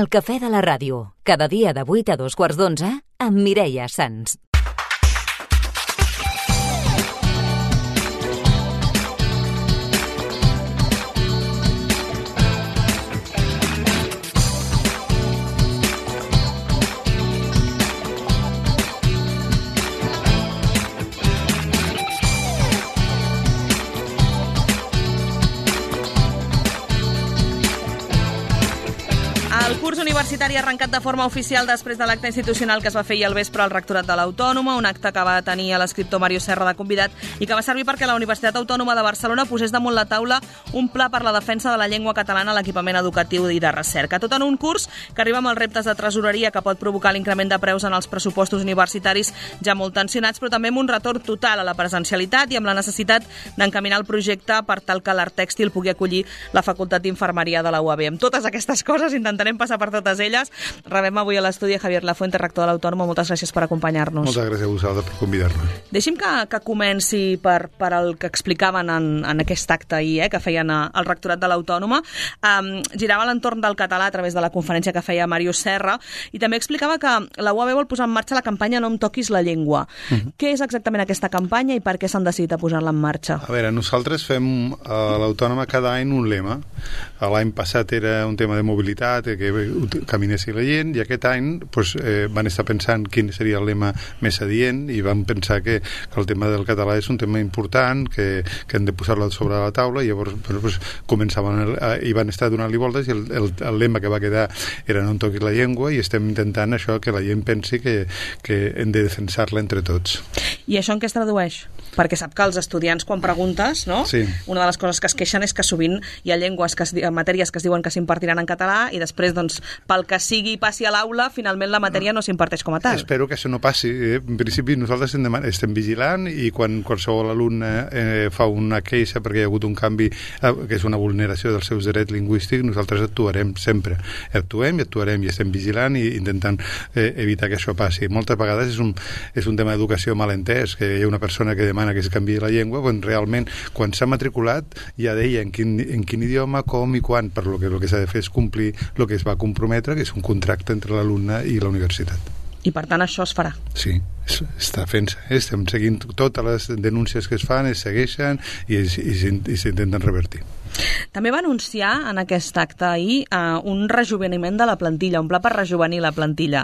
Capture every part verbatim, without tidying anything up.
El cafè de la ràdio, cada dia de vuit a dos quarts d'onze, amb Mireia Sans. El curs universitari ha arrencat de forma oficial després de l'acte institucional que es va fer ahir al vespre al Rectorat de l'Autònoma, un acte que va tenir a l'escriptor Mario Serra de convidat i que va servir perquè la Universitat Autònoma de Barcelona posés damunt la taula un pla per la defensa de la llengua catalana a l'equipament educatiu i de recerca. Tot en un curs que arriba amb els reptes de tresoreria que pot provocar l'increment de preus en els pressupostos universitaris ja molt tensionats, però també amb un retorn total a la presencialitat i amb la necessitat d'encaminar el projecte per tal que l'Art Tèxtil pugui acollir la Facultat d'Infermeria de la U A B. Amb totes aquestes coses intentarem passar per totes elles. Rebem avui a l'estudi Javier Lafuente, rector de l'Autònoma. Moltes gràcies per acompanyar-nos. Moltes gràcies a vosaltres per convidar-me. Deixi'm que, que comenci per, per el que explicaven en, en aquest acte ahir, eh, que feien al Rectorat de l'Autònoma. Um, girava a l'entorn del català a través de la conferència que feia Mario Serra i també explicava que la U A B vol posar en marxa la campanya No em toquis la llengua. Uh-huh. Què és exactament aquesta campanya i per què s'han decidit a posar-la en marxa? A veure, nosaltres fem a l'Autònoma cada any un lema. L'any passat era un tema de mobilitat, que caminessi la gent, i aquest any pues, eh, van estar pensant quin seria el lema més adient i van pensar que, que el tema del català és un tema important, que, que hem de posar-lo sobre la taula, i llavors pues, pues, començaven el, eh, i van estar donant-li voltes, i el, el, el lema que va quedar era No em toquis la llengua, i estem intentant això, que la gent pensi que, que hem de defensar-la entre tots. I això en què es tradueix? Perquè sap que els estudiants, quan preguntes, no? Sí. Una de les coses que es queixen és que sovint hi ha llengües, que es, matèries que es diuen que s'impartiran en català i després, doncs, pel que sigui passi a l'aula, finalment la matèria no s'imparteix com a tal. Espero que això no passi. En principi nosaltres estem vigilant, i quan qualsevol alumne eh, fa una queixa perquè hi ha hagut un canvi eh, que és una vulneració dels seus drets lingüístics, nosaltres actuarem sempre. Actuem i actuarem i estem vigilant i intentant eh, evitar que això passi. Moltes vegades és un, és un tema d'educació mal entès, que hi ha una persona que demana que es canviï la llengua, quan realment quan s'ha matriculat ja deia en quin, en quin idioma, com i quan, per lo que el que s'ha de fer és complir el que es va comprometre, que és un contracte entre l'alumne i la universitat. I per tant això es farà? Sí, està fent-se. Estem seguint totes les denúncies que es fan, es segueixen i, i, i s'intenten revertir. També va anunciar en aquest acte ahir uh, un rejuveniment de la plantilla, un pla per rejuvenir la plantilla.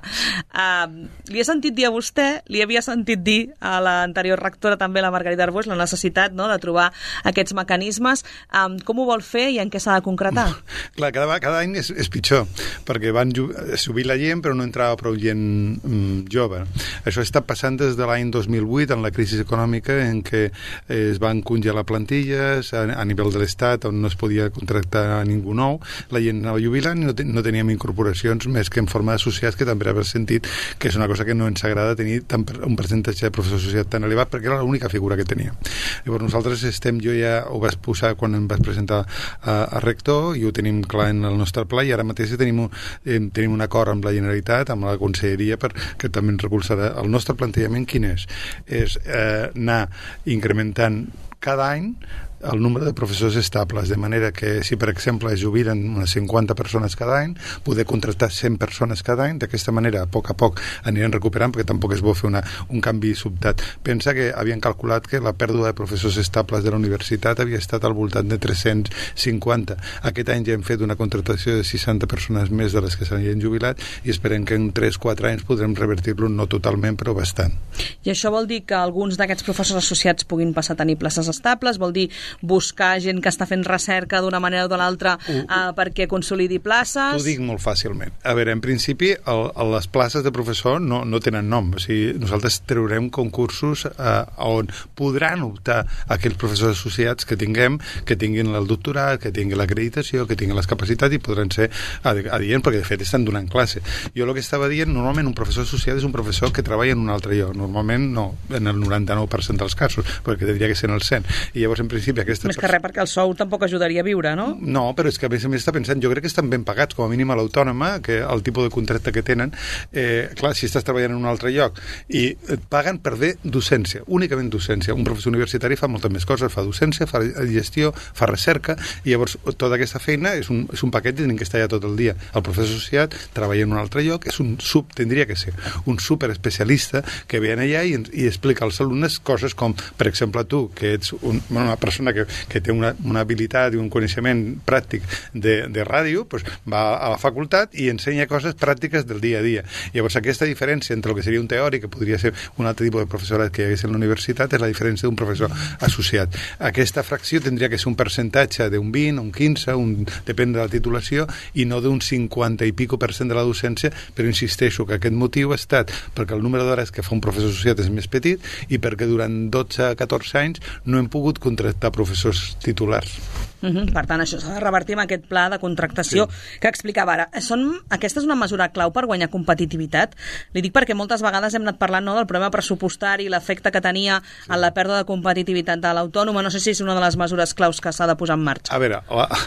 Uh, li he sentit dir a vostè, li havia sentit dir a l'anterior rectora també, la Margarita Arbós, la necessitat, no?, de trobar aquests mecanismes. Um, com ho vol fer i en què s'ha de concretar? Clar, cada, cada any és, és pitjor, perquè van subir la gent però no entrava prou gent mm, jove. Això està passant des de l'any dos mil vuit, en la crisi econòmica, en què es van congelar plantilles a, a nivell de l'Estat, on no es podia contractar a ningú nou, la gent anava jubilant i no, ten, no teníem incorporacions més que en forma d'associats, que també haver sentit que és una cosa que no ens agrada tenir tant, un percentatge de professors associats tan elevat, perquè era l'única figura que tenia. Llavors nosaltres estem, jo ja ho vaig posar quan em vaig presentar a, a rector, i ho tenim clar en el nostre pla, i ara mateix tenim un, eh, tenim un acord amb la Generalitat, amb la Conselleria, per, que també ens recolzarà. El nostre plantejament quin és? És eh, anar incrementant cada any el nombre de professors estables, de manera que si, per exemple, es jubilen unes cinquanta persones cada any, poder contractar cent persones cada any. D'aquesta manera, a poc a poc anirem recuperant, perquè tampoc és bo fer una, un canvi sobtat. Pensa que havien calculat que la pèrdua de professors estables de la universitat havia estat al voltant de tres-cents cinquanta. Aquest any ja hem fet una contractació de seixanta persones més de les que s'havien jubilat, i esperem que en tres o quatre anys podrem revertir-lo, no totalment, però bastant. I això vol dir que alguns d'aquests professors associats puguin passar a tenir places estables? Vol dir buscar gent que està fent recerca d'una manera o de l'altra uh, perquè consolidi places? T'ho dic molt fàcilment. A veure, en principi, el, el, les places de professor no, no tenen nom. O sigui, nosaltres traurem concursos uh, on podran optar aquells professors associats que tinguem, que tinguin el doctorat, que tinguin l'acreditació, que tinguin les capacitats, i podran ser adients, perquè de fet estan donant classe. Jo el que estava dient, normalment un professor associat és un professor que treballa en un altre lloc. Normalment no, en el noranta-nou per cent dels casos, perquè tindria que ser en el cent. I llavors, en principi, principi aquesta... Més que res, perquè el sou tampoc ajudaria a viure, no? No, però és que a més a més està pensant, jo crec que estan ben pagats, com a mínim a l'autònoma, que el tipus de contracte que tenen, eh, clar, si estàs treballant en un altre lloc i et paguen per fer docència, únicament docència. Un professor universitari fa moltes més coses, fa docència, fa gestió, fa recerca, i llavors tota aquesta feina és un, és un paquet i tenim que estar allà tot el dia. El professor associat treballa en un altre lloc, és un sub, tindria que ser un superespecialista que ve allà i, i explica als alumnes coses com, per exemple, tu, que ets un, una persona que, que té una, una habilitat i un coneixement pràctic de, de ràdio, pues va a la facultat i ensenya coses pràctiques del dia a dia. Llavors, aquesta diferència entre el que seria un teòric, que podria ser un altre tipus de professorat que hi hagués en la universitat, és la diferència d'un professor associat. Aquesta fracció tindria que ser un percentatge d'un vint, un quinze, un, depèn de la titulació, i no d'un cinquanta i pico per cent de la docència, però insisteixo que aquest motiu ha estat perquè el número d'hores que fa un professor associat és més petit i perquè durant dotze a catorze anys no hem pogut contractar professors titulars. Uh-huh. Per tant, això s'ha de revertir amb aquest pla de contractació sí. que explicava ara. Són, aquesta és una mesura clau per guanyar competitivitat? Li dic perquè moltes vegades hem anat parlant, no, del problema pressupostari, l'efecte que tenia sí. en la pèrdua de competitivitat de l'autònoma. No sé si és una de les mesures claus que s'ha de posar en marxa. A veure, la,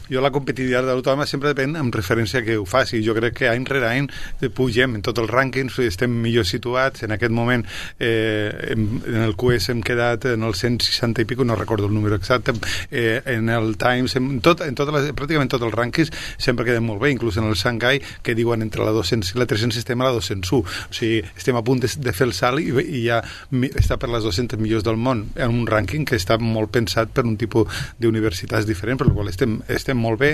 jo la competitivitat de l'autònoma sempre depèn en referència a que ho faci. Jo crec que any rere any pugem en tots els rànquings, estem millor situats. En aquest moment eh, en, en el Q S hem quedat en el cent seixanta i pico, no recordo el número exacte, eh, en el Times, en, tot, en tot les, pràcticament tots els rànquings sempre quedem molt bé, inclús en el Shanghai, que diuen entre la dos-cents i la tres-cents estem a la dos-cents u. O sigui, estem a punt de, de fer el salt i, i ja està per les dues-centes millors del món, en un rànquing que està molt pensat per un tipus d'universitats diferent, per la qual estem, estem molt bé.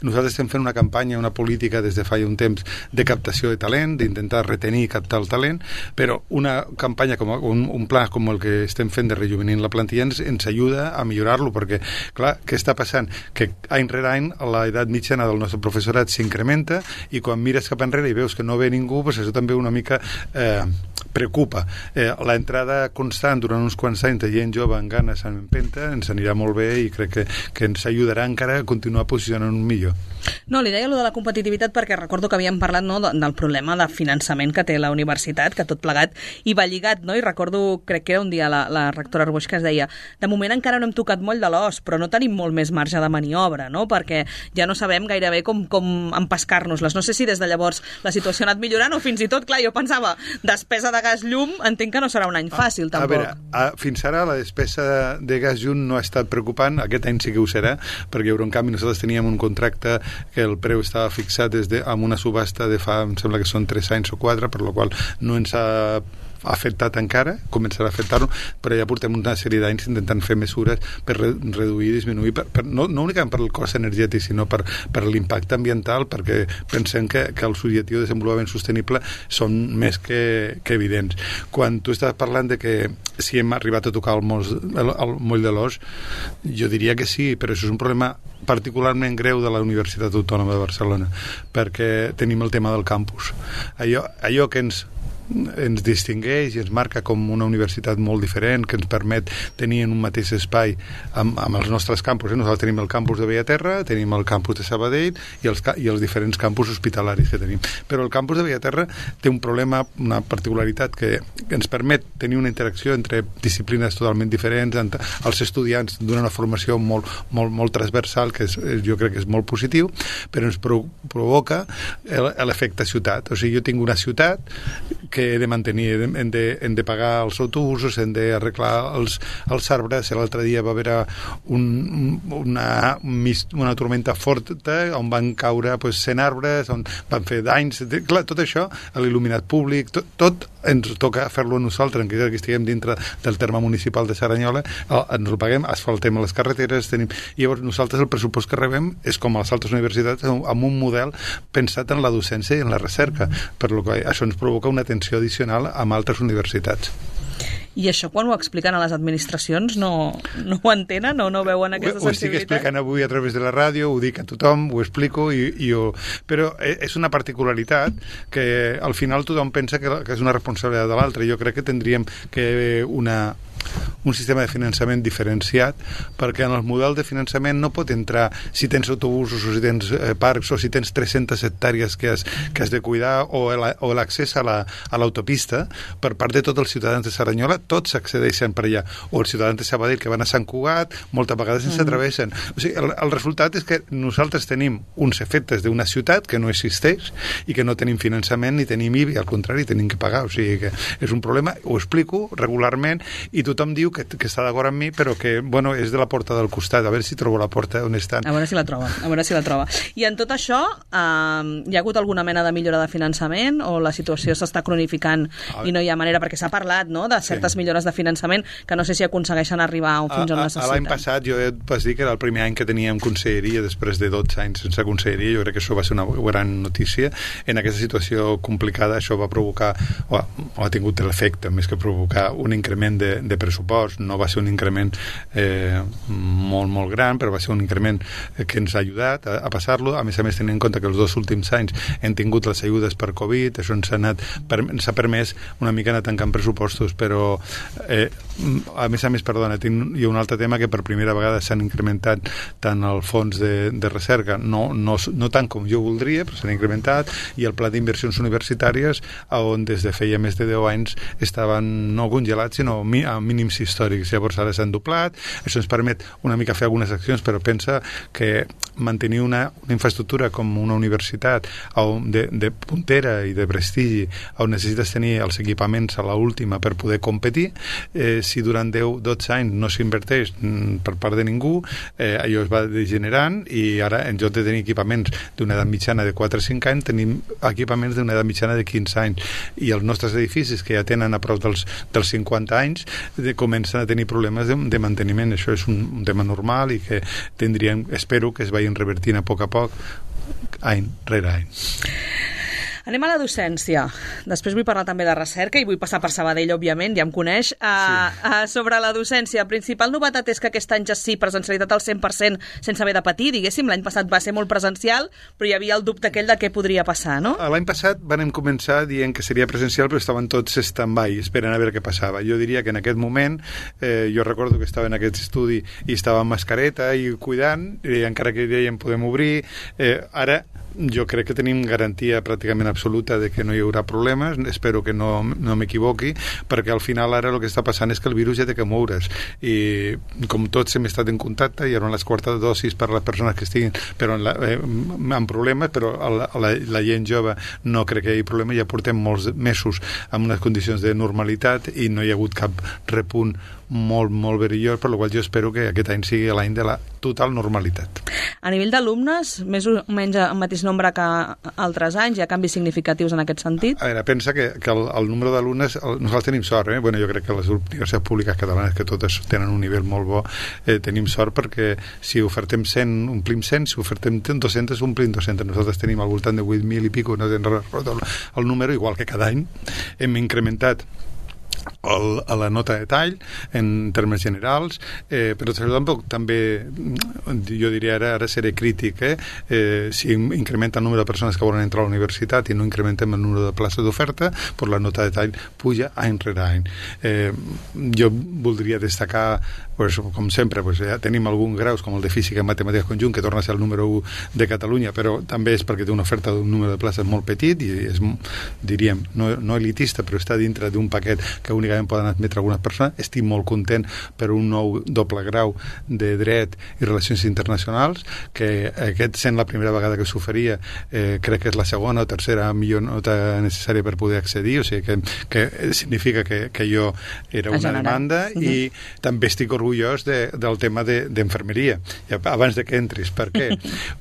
Nosaltres estem fent una campanya, una política des de fa un temps de captació de talent, d'intentar retenir i captar el talent, però una campanya, com un, un pla com el que estem fent de rejuvenir la plantilla ens, ens ajuda a millorar-lo, perquè, clar, què està passant? Que any rere any l'edat mitjana del nostre professorat s'incrementa i quan mires cap enrere i veus que no ve ningú, pues això també una mica eh, preocupa. Eh, la entrada constant durant uns quants anys de gent jove amb ganes, amb empenta, ens anirà molt bé i crec que, que ens ajudarà encara a continuar posicionant un millor. No, li deia allò de la competitivitat perquè recordo que havíem parlat, no, del problema de finançament que té la universitat, que tot plegat hi va lligat, no? I recordo, crec que era un dia la, la rectora Arboix que es deia, de moment encara no hem tocat moll de l'os, però no tenim molt més marge de maniobra, no? Perquè ja no sabem gairebé com, com empescar-nos-les. No sé si des de llavors la situació ha anat millorant o fins i tot, clar, jo pensava, despesa de gas-llum, entenc que no serà un any fàcil, tampoc. A veure, a, fins ara la despesa de gas-llum no ha estat preocupant, aquest any sí que ho serà, perquè en canvi nosaltres teníem un contracte que el preu estava fixat des de, amb una subhasta de fa, em sembla que són tres anys o quatre, per la qual no ens ha afectat encara, començarà a afectar-lo, però ja portem una sèrie d'anys intentant fer mesures per re reduir i disminuir, per, per, no, no únicament per el cost energètic, sinó per, per l'impacte ambiental, perquè pensem que, que els objectius de desenvolupament sostenible són més que, que evidents. Quan tu estàs parlant de que si hem arribat a tocar el, mos, el, el moll de l'os, jo diria que sí, però això és un problema particularment greu de la Universitat Autònoma de Barcelona, perquè tenim el tema del campus. Allò, allò que ens ens distingueix i ens marca com una universitat molt diferent, que ens permet tenir en un mateix espai amb, amb els nostres campus. Eh? Nosaltres tenim el campus de Bellaterra, tenim el campus de Sabadell i els, i els diferents campus hospitalaris que tenim. Però el campus de Bellaterra té un problema, una particularitat que, que ens permet tenir una interacció entre disciplines totalment diferents, entre els estudiants donen una formació molt, molt, molt transversal, que és, jo crec que és molt positiu, però ens pro provoca l'efecte ciutat. O sigui, jo tinc una ciutat que he de mantenir, hem de, hem de pagar els autobusos, hem d'arreglar els, els arbres. L'altre dia va haver un, una, una tormenta forta on van caure pues, cent arbres, on van fer danys. Clar, tot això, l'il·luminat públic, tot, tot ens toca fer-lo a nosaltres, encara que estiguem dintre del terme municipal de Saranyola, ens ho paguem, asfaltem les carreteres, tenim... I llavors nosaltres el pressupost que rebem és com a les altres universitats, amb un model pensat en la docència i en la recerca, per lo que això ens provoca una tensió addicional amb altres universitats. I això, quan ho expliquen a les administracions, no, no ho entenen o no veuen aquesta ho, ho sensibilitat? Ho estic explicant avui a través de la ràdio, ho dic a tothom, ho explico, i, i ho... però és una particularitat que al final tothom pensa que, que és una responsabilitat de l'altre. Jo crec que tindríem que una un sistema de finançament diferenciat, perquè en el model de finançament no pot entrar si tens autobusos o si tens eh, parcs o si tens tres-centes hectàrees que has, que has de cuidar o l'accés a l'autopista la, per part de tots els ciutadans de Cerdanyola, tots accedeixen per allà, o els ciutadans de Sabadell que van a Sant Cugat, moltes vegades ens atravessen. O sigui, el, el resultat és que nosaltres tenim uns efectes d'una ciutat que no existeix i que no tenim finançament ni tenim I B I, al contrari, tenim que pagar, o sigui que és un problema, ho explico regularment i tothom diu que, que està d'acord amb mi, però que, bueno, és de la porta del costat, a veure si trobo la porta on estan. A veure si la troba, a veure si la troba. I en tot això, eh, hi ha hagut alguna mena de millora de finançament o la situació s'està cronificant i no hi ha manera, perquè s'ha parlat, no?, de certes sí. millores de finançament que no sé si aconsegueixen arribar fins on necessiten. L'any passat jo vaig dir que era el primer any que teníem conselleria després de dotze anys sense conselleria, jo crec que això va ser una gran notícia. En aquesta situació complicada això va provocar, o ha, o ha tingut l'efecte, més que provocar un increment de, de pressupost, no va ser un increment eh, molt, molt gran, però va ser un increment que ens ha ajudat a, a passar-lo, a més a més tenint en compte que els dos últims anys hem tingut les ajudes per Covid, això ens ha, anat, per, ens ha permès una mica anar tancant pressupostos, però eh, a més a més, perdona, tinc, hi ha un altre tema que per primera vegada s'han incrementat tant el fons de, de recerca, no, no, no tant com jo voldria, però s'han incrementat, i el pla d'inversions universitàries, on des de feia més de deu anys estaven no congelats, sinó a mínims històrics. Llavors ara s'han doblat, això ens permet una mica fer algunes accions, però pensa que mantenir una, una infraestructura com una universitat de, de puntera i de prestigi, on necessites tenir els equipaments a l'última per poder competir, eh, si durant deu dotze anys no s'inverteix per part de ningú, eh, allò es va degenerant i ara en lloc de tenir equipaments d'una edat mitjana de quatre o cinc anys tenim equipaments d'una edat mitjana de quinze anys i els nostres edificis que ja tenen a prop dels, dels cinquanta anys de, comencen a tenir problemes de, de manteniment. Això és un, un tema normal i que tindríem, espero que es vagin revertint a poc a poc any rere any. Anem a la docència. Després vull parlar també de recerca i vull passar per Sabadell, òbviament, ja em coneix. Uh, sí. uh, sobre la docència, la principal novetat és que aquest any ja sí, presencialitat al cent per cent sense haver de patir, diguéssim. L'any passat va ser molt presencial, però hi havia el dubte aquell de què podria passar, no? L'any passat vam començar dient que seria presencial, però estaven tots stand-by, esperant a veure què passava. Jo diria que en aquest moment, eh, jo recordo que estava en aquest estudi i estava amb mascareta i cuidant, i encara que dèiem podem obrir, eh, ara jo crec que tenim garantia pràcticament absoluta de que no hi haurà problemes, espero que no, no m'equivoqui, perquè al final ara el que està passant és que el virus ja té que moure's i com tots hem estat en contacte i eren les quartes dosis per a les persones que estiguin però en la, eh, amb problemes, però la, la, la gent jove no crec que hi hagi problema, ja portem molts mesos amb unes condicions de normalitat i no hi ha hagut cap repunt molt, molt verillós, per la qual jo espero que aquest any sigui l'any de la total normalitat. A nivell d'alumnes, més o menys el mateix nombre que altres anys, hi ha canvis significatius en aquest sentit? A veure, pensa que, que el, el número d'alumnes, nosaltres tenim sort, eh? Bueno, jo crec que les universitats públiques catalanes, que totes tenen un nivell molt bo, eh, tenim sort perquè si ofertem cent, omplim cent, si ofertem dos-centes, omplim dos-centes. Nosaltres tenim al voltant de vuit mil i pico, no tenen el, el número, igual que cada any hem incrementat El, a la nota de tall en termes generals, eh, però tampoc també jo diria ara, ara seré crític eh? Eh, si incrementa el número de persones que volen entrar a la universitat i no incrementem el número de places d'oferta, pues la nota de tall puja any rere any. Eh, jo voldria destacar pues, com sempre, pues, ja tenim alguns graus com el de Física i Matemàtiques Conjunt que torna a ser el número u de Catalunya, però també és perquè té una oferta d'un número de places molt petit i és, diríem, no, no elitista, però està dintre d'un paquet que únicament poden admetre algunes persones. Estic molt content per un nou doble grau de dret i relacions internacionals, que aquest sent la primera vegada que s'oferia, eh, crec que és la segona o tercera millor nota necessària per poder accedir, o sigui que, que significa que, que jo era una demanda uh-huh. i també estic orgullós de, del tema d'enfermeria, de, abans de que entris. Per què?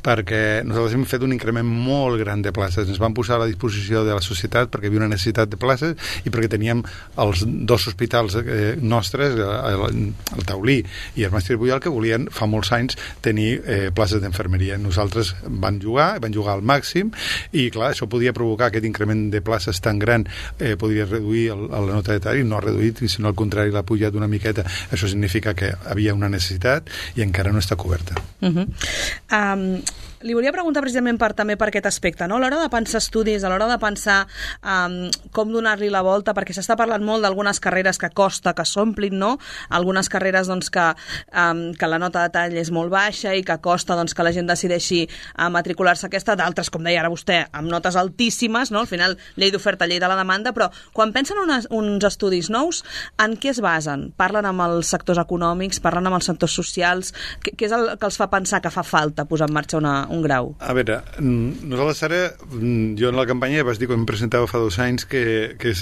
Perquè nosaltres hem fet un increment molt gran de places, ens vam posar a la disposició de la societat perquè hi havia una necessitat de places i perquè teníem els dos hospitals eh, nostres, el, el Taulí i el Mestre Pujol, que volien fa molts anys tenir eh, places d'enfermeria. Nosaltres van jugar, van jugar al màxim i clar, això podia provocar aquest increment de places tan gran, eh, podria reduir el, la nota de tall i no ha reduït, sinó al contrari l'ha pujat una miqueta. Això significa que havia una necessitat i encara no està coberta. Uh-huh. Um, li volia preguntar precisament per, també per aquest aspecte, no? A l'hora de pensar estudis, a l'hora de pensar um, com donar-li la volta, perquè s'està parlant molt d'algunes carreres que costa que s'omplin, no? Algunes carreres doncs, que, um, que la nota de tall és molt baixa i que costa doncs, que la gent decideixi uh, matricular-se aquesta, d'altres, com deia ara vostè, amb notes altíssimes, no? Al final, llei d'oferta, llei de la demanda, però quan pensen unes, uns estudis nous, en què es basen? Parlen amb els sectors econòmics, parlen amb els sectors socials, què, què és el que els fa pensar que fa falta posar en marxa una un grau? A veure, nosaltres ara, jo en la campanya ja vas dir, quan em presentava fa dos anys, que, que,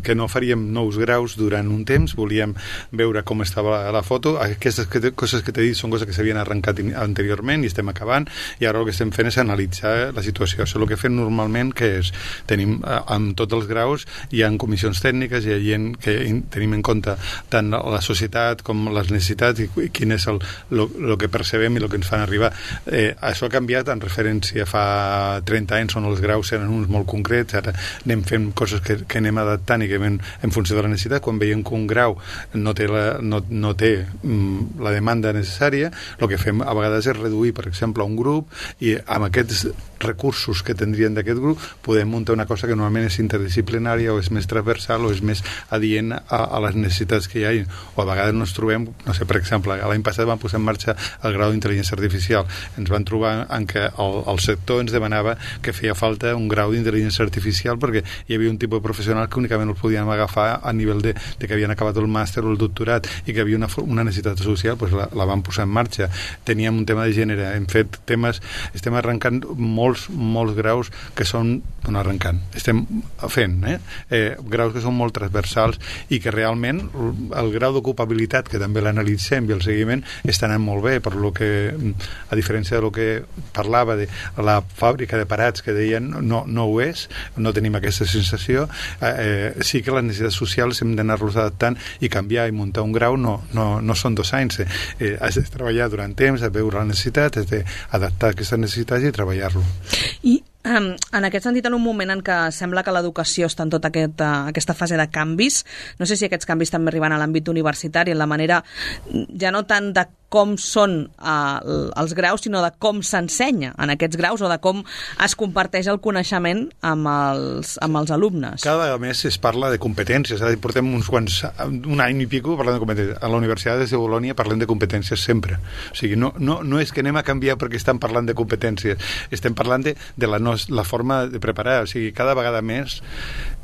que no faríem nous graus durant un temps, volíem veure com estava la foto. Aquestes coses que t'he dit són coses que s'havien arrencat anteriorment i estem acabant, i ara el que estem fent és analitzar la situació. Això és el que fem normalment, que és, tenim, amb tots els graus, hi ha comissions tècniques, hi ha gent que tenim en compte tant la societat com les necessitats i, i quin és el, el, el que percebem i el que ens fan arribar. Eh, això ha canviat en referència fa trenta anys on els graus eren uns molt concrets, ara anem fent coses que, que anem adaptant i que anem en funció de la necessitat. Quan veiem que un grau no té la, no, no té mm, la demanda necessària, el que fem a vegades és reduir, per exemple, un grup, i amb aquests recursos que tindrien d'aquest grup podem muntar una cosa que normalment és interdisciplinària o és més transversal o és més adient a, a les necessitats que hi ha, o a vegades ens trobem, no sé, per exemple, l'any passat vam posar en marxa el grau d'intel·ligència artificial, ens van trobar en què el, el sector ens demanava que feia falta un grau d'intel·ligència artificial perquè hi havia un tipus de professional que únicament el podíem agafar a nivell de, de que havien acabat el màster o el doctorat i que havia una, una necessitat social, doncs la, la vam posar en marxa. Teníem un tema de gènere, hem fet temes, estem arrencant molts, molts graus que són, bueno, arrencant, estem fent, eh? Eh, graus que són molt transversals i que realment el grau d'ocupabilitat, que també l'analitzem i el seguiment, està anant molt bé, per lo que, a diferència de lo que parlava de la fàbrica de parats que deien no, no ho és, no tenim aquesta sensació, eh, sí que les necessitats socials hem d'anar-los adaptant i canviar i muntar un grau no, no, no són dos anys, eh, eh, has de treballar durant temps, has de veure la necessitat, has d'adaptar aquestes necessitats i treballar-lo. I um, en aquest sentit, en un moment en què sembla que l'educació està en tota aquest, uh, aquesta fase de canvis, no sé si aquests canvis també arriben a l'àmbit universitari, en la manera ja no tant de com són uh, els graus, sinó de com s'ensenya en aquests graus o de com es comparteix el coneixement amb els, amb els alumnes. Cada mes es parla de competències, ara portem uns quants, un any i pico parlant de competències. A la Universitat de Bologna parlem de competències sempre. O sigui, no, no, no és que anem a canviar perquè estem parlant de competències, estem parlant de, de la, nos, la forma de preparar. O sigui, cada vegada més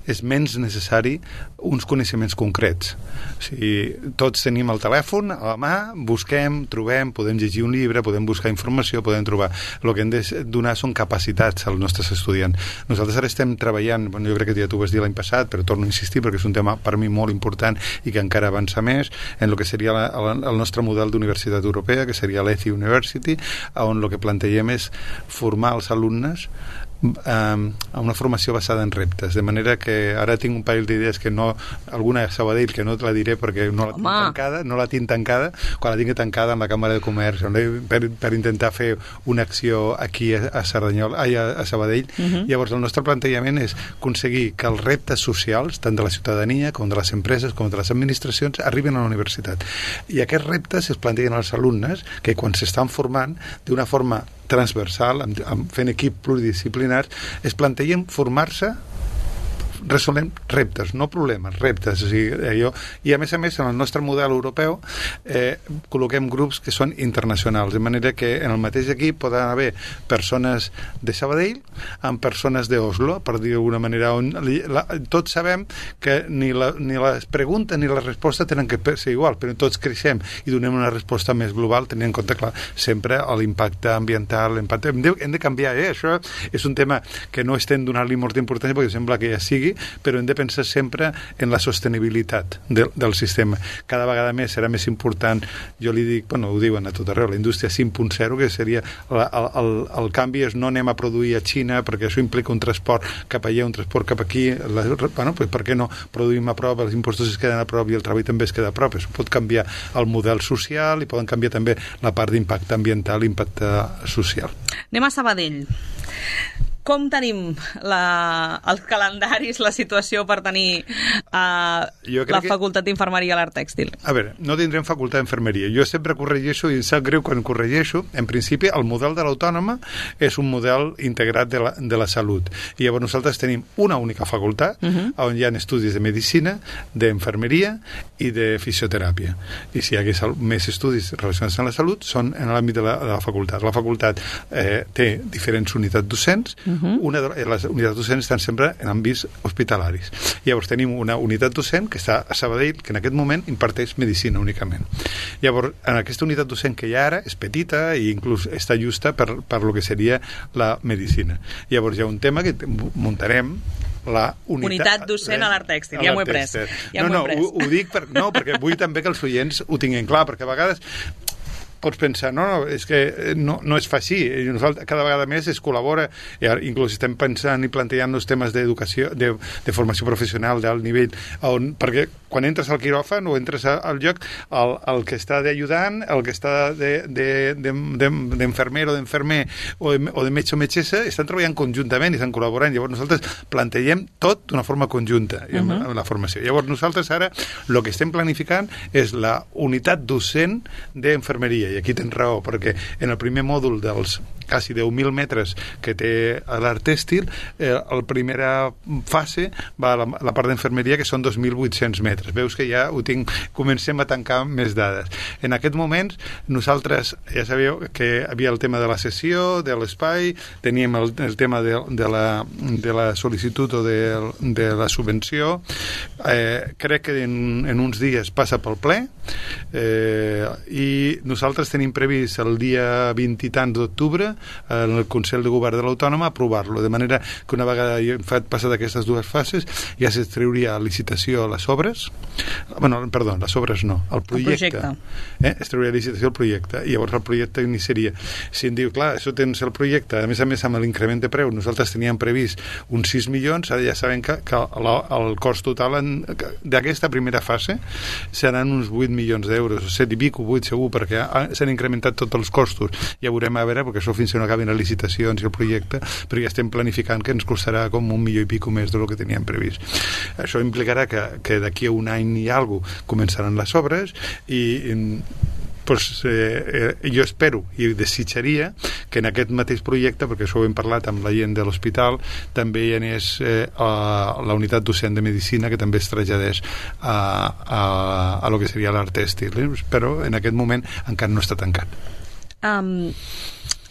és menys necessari uns coneixements concrets. O sigui, tots tenim el telèfon a la mà, busquem, trobem, podem llegir un llibre, podem buscar informació, podem trobar. El que hem de donar són capacitats als nostres estudiants. Nosaltres ara estem treballant, bueno, jo crec que ja t'ho vas dir l'any passat, però torno a insistir perquè és un tema per mi molt important i que encara avança més en el que seria la, el, el nostre model d'universitat europea, que seria l'E T H University, on el que plantegem és formar els alumnes a una formació basada en reptes, de manera que ara tinc un parell d'idees que no, alguna a Sabadell que no te la diré perquè no la tinc Home. tancada, no la tinc tancada, quan la tinc tancada amb la Càmera de Comerç per, per intentar fer una acció aquí a, a Cerdanyola, ai, a, a Sabadell. Uh-huh. Llavors el nostre plantejament és aconseguir que els reptes socials, tant de la ciutadania com de les empreses com de les administracions, arriben a la universitat. I aquests reptes es plantegen als alumnes que quan s'estan formant d'una forma transversal, amb, amb fent equip pluridisciplinars, es plantegen formar-se resolent reptes, no problemes, reptes. O sigui, allò, i a més a més en el nostre model europeu eh, col·loquem grups que són internacionals, de manera que en el mateix equip poden haver persones de Sabadell amb persones d'Oslo, per dir d'alguna manera, on la, tots sabem que ni, la, ni les preguntes ni la resposta tenen que ser igual, però tots creixem i donem una resposta més global, tenint en compte, clar, sempre l'impacte ambiental, l'impacte... Hem de, hem de canviar, eh? Això és un tema que no estem donant-li molta importància perquè sembla que ja sigui, però hem de pensar sempre en la sostenibilitat de, del sistema. Cada vegada més serà més important, jo li dic, bueno, ho diuen a tot arreu, la indústria cinc punt zero, que seria la, el, el, el canvi és no anem a produir a Xina perquè això implica un transport cap allà, un transport cap aquí, la, bueno, pues per què no produïm a prop, els impostos es queden a prop i el treball també es queda a prop. Això pot canviar el model social i poden canviar també la part d'impacte ambiental i impacte social. Anem a Sabadell. Com tenim la, els calendaris, la situació per tenir a la que... facultat d'infermeria a l'art tèxtil? A veure, no tindrem facultat d'infermeria. Jo sempre corregeixo, i em sap greu quan corregeixo, en principi el model de l'Autònoma és un model integrat de la, de la salut. I llavors nosaltres tenim una única facultat uh-huh. on hi ha estudis de medicina, d'infermeria i de fisioteràpia. I si hi hagués més estudis relacionats amb la salut, són en l'àmbit de la, de la facultat. La facultat eh, té diferents unitats docents. Uh-huh. Una de les unitats docents estan sempre en àmbits hospitalaris. Llavors tenim una unitat docent que està a Sabadell, que en aquest moment imparteix medicina únicament. Llavors, en aquesta unitat docent que hi ha ara és petita i inclús està justa per, per lo que seria la medicina. Llavors hi ha un tema que muntarem la unitat, unitat docent a l'art tèxtil, ja m'ho he pres. Ja no, no, pres. Ho, ho dic per, no, perquè vull també que els oients ho tinguin clar, perquè a vegades pots pensar, no, no, és que no, no es fa així. Nosaltres cada vegada més es col·labora, i inclús estem pensant i plantejant els temes d'educació, de, de formació professional d'alt nivell, on, perquè quan entres al quiròfan o entres al lloc, el, el que està d'ajudant, el que està d'infermer o d'infermer o, de, o de metge o metgessa, estan treballant conjuntament i estan col·laborant. Llavors nosaltres plantegem tot d'una forma conjunta uh-huh. amb, amb la formació. Llavors nosaltres ara el que estem planificant és la unitat docent d'infermeria. I aquí tens raó, perquè en el primer mòdul dels quasi deu mil metres que té l'art tèxtil, eh, la primera fase va a la, la part d'infermeria, que són dos mil vuit-cents metres. Veus que ja ho tinc, comencem a tancar més dades. En aquest moment, nosaltres, ja sabeu que hi havia el tema de la sessió, de l'espai, teníem el, el tema de, de, la, de la sol·licitud o de, de la subvenció. Eh, crec que en, en uns dies passa pel ple, eh, i nosaltres tenim previst el dia vint i tants d'octubre en el Consell de Govern de l'Autònoma aprovar-lo, de manera que una vegada fet passat aquestes dues fases ja s'extreuria a licitació les obres, bueno, perdó, les obres no, el projecte, el projecte. Eh? es treuria a licitació el projecte, i llavors el projecte iniciaria. Si em diu, clar, això tens el projecte, a més a més amb l'increment de preu, nosaltres teníem previst uns sis milions, ara ja sabem que, que el, el cost total d'aquesta primera fase seran uns vuit milions d'euros, set i pico, vuit segur, perquè s'han incrementat tots els costos. Ja veurem a veure, perquè això fins que no acabin les licitacions i el projecte, però ja estem planificant que ens costarà com un milió i pico més del que teníem previst. Això implicarà que, que d'aquí a un any i alguna cosa començaran les obres i, i pues, eh, eh, jo espero i desitjaria que en aquest mateix projecte, perquè això ho hem parlat amb la gent de l'hospital, també hi anés eh, a la unitat docent de medicina, que també es traslladés a, a, a lo que seria l'art tèxtil, eh? Però en aquest moment encara no està tancat. Um,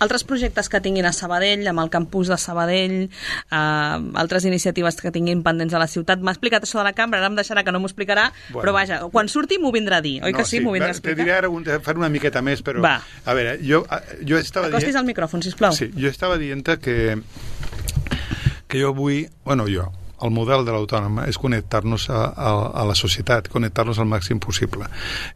altres projectes que tinguin a Sabadell, amb el campus de Sabadell, uh, altres iniciatives que tinguin pendents a la ciutat. M'ha explicat això de la cambra, ara em deixarà que no m'ho explicarà, bueno. Però vaja, quan surti m'ho vindrà a dir, oi no, que sí? sí? M'ho vindrà a explicar. Te diré ara un, fer una miqueta més, però... Va. A veure, jo, jo estava Acostis dient... al micròfon, sisplau. Sí, jo estava dient que, que jo vull... Bueno, jo... El model de l'Autònoma és connectar-nos a, a, a la societat, connectar-nos al màxim possible.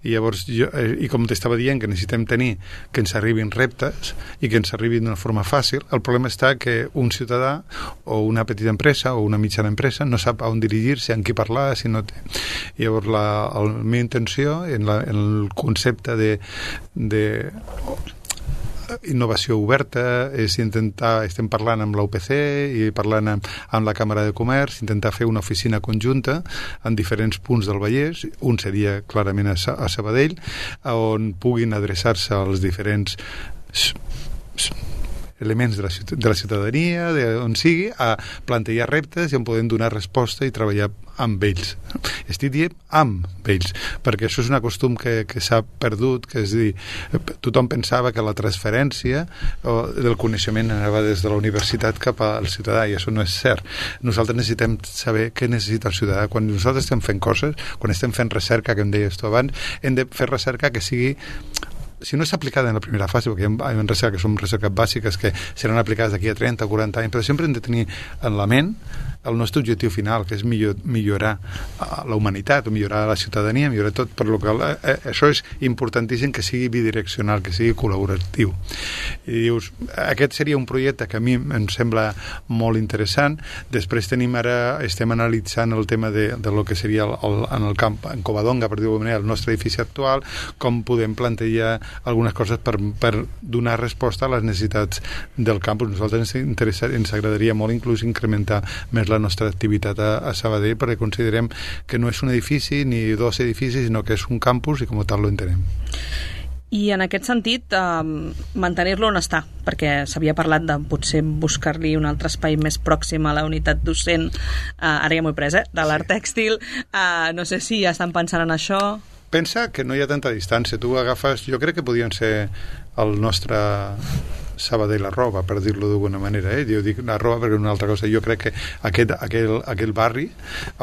I llavors, jo, i com t'estava dient, que necessitem tenir que ens arribin reptes i que ens arribin d'una forma fàcil, el problema està que un ciutadà o una petita empresa o una mitjana empresa no sap on dirigir-se, amb qui parlar, si no té. I llavors, la, la meva intenció, en, la, en el concepte de... de innovació oberta, és intentar, estem parlant amb l'U P C i parlant amb, amb la Càmera de Comerç, intentar fer una oficina conjunta en diferents punts del Vallès, un seria clarament a, a Sabadell, on puguin adreçar-se als diferents elements de la, de la ciutadania, d'on sigui, a plantejar reptes i on podem donar resposta i treballar amb ells. Estic dient amb ells, perquè això és un costum que, que s'ha perdut, que és dir, tothom pensava que la transferència del coneixement anava des de la universitat cap al ciutadà, i això no és cert. Nosaltres necessitem saber què necessita el ciutadà. Quan nosaltres estem fent coses, quan estem fent recerca, que em deies tu abans, hem de fer recerca que sigui, si no és aplicada en la primera fase, perquè hi ha recerca que són recerques bàsiques que seran aplicades d'aquí a trenta o quaranta anys, però sempre hem de tenir en la ment el nostre objectiu final, que és millor, millorar la humanitat, o millorar la ciutadania, millorar tot, per lo que eh, això és importantíssim, que sigui bidireccional, que sigui col·laboratiu. I dius, aquest seria un projecte que a mi em sembla molt interessant. Després tenim ara, estem analitzant el tema de, de lo que seria el, el, en el camp, en Covadonga, per dir-ho manera, el nostre edifici actual, com podem plantejar algunes coses per, per donar resposta a les necessitats del campus. Nosaltres ens, interessa, ens agradaria molt inclús incrementar més la la nostra activitat a, a Sabadell, perquè considerem que no és un edifici ni dos edificis, sinó que és un campus i com a tal lo entenem. I en aquest sentit, eh, mantenir-lo on està, perquè s'havia parlat de potser buscar-li un altre espai més pròxim a la unitat docent, eh, ara ja m'ho he pres, eh, de l'art tèxtil, eh, no sé si ja estan pensant en això. Pensa que no hi ha tanta distància, tu agafes, jo crec que podien ser el nostre Sabadell la roba, per dir-lo d'alguna manera, eh? Jo dic la roba perquè és una altra cosa. Jo crec que aquest, aquell, aquell barri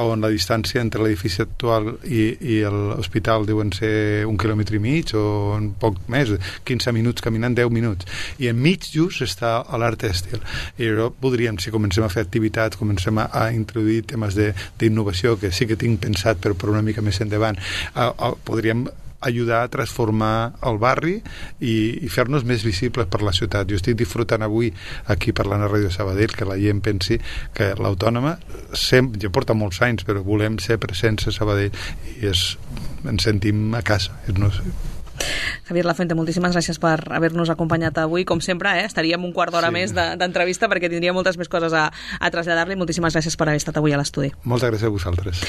on la distància entre l'edifici actual i, i l'hospital deuen ser un quilòmetre i mig o un poc més, quinze minuts caminant, deu minuts, i enmig just està l'art tèxtil. I jo podríem, si comencem a fer activitats, comencem a, a introduir temes d'innovació que sí que tinc pensat, però per una mica més endavant, a, a, podríem ajudar a transformar el barri i, i fer-nos més visibles per la ciutat. Jo estic disfrutant avui aquí parlant a Ràdio Sabadell que la gent pensi que l'Autònoma sempre, ja porta molts anys, però volem ser presents a Sabadell i és, ens sentim a casa. No sé. Javier Lafuente, moltíssimes gràcies per haver-nos acompanyat avui. Com sempre, eh, estaríem un quart d'hora sí. més d'entrevista de, perquè tindria moltes més coses a, a traslladar-li. Moltíssimes gràcies per haver estat avui a l'estudi. Moltes gràcies a vosaltres.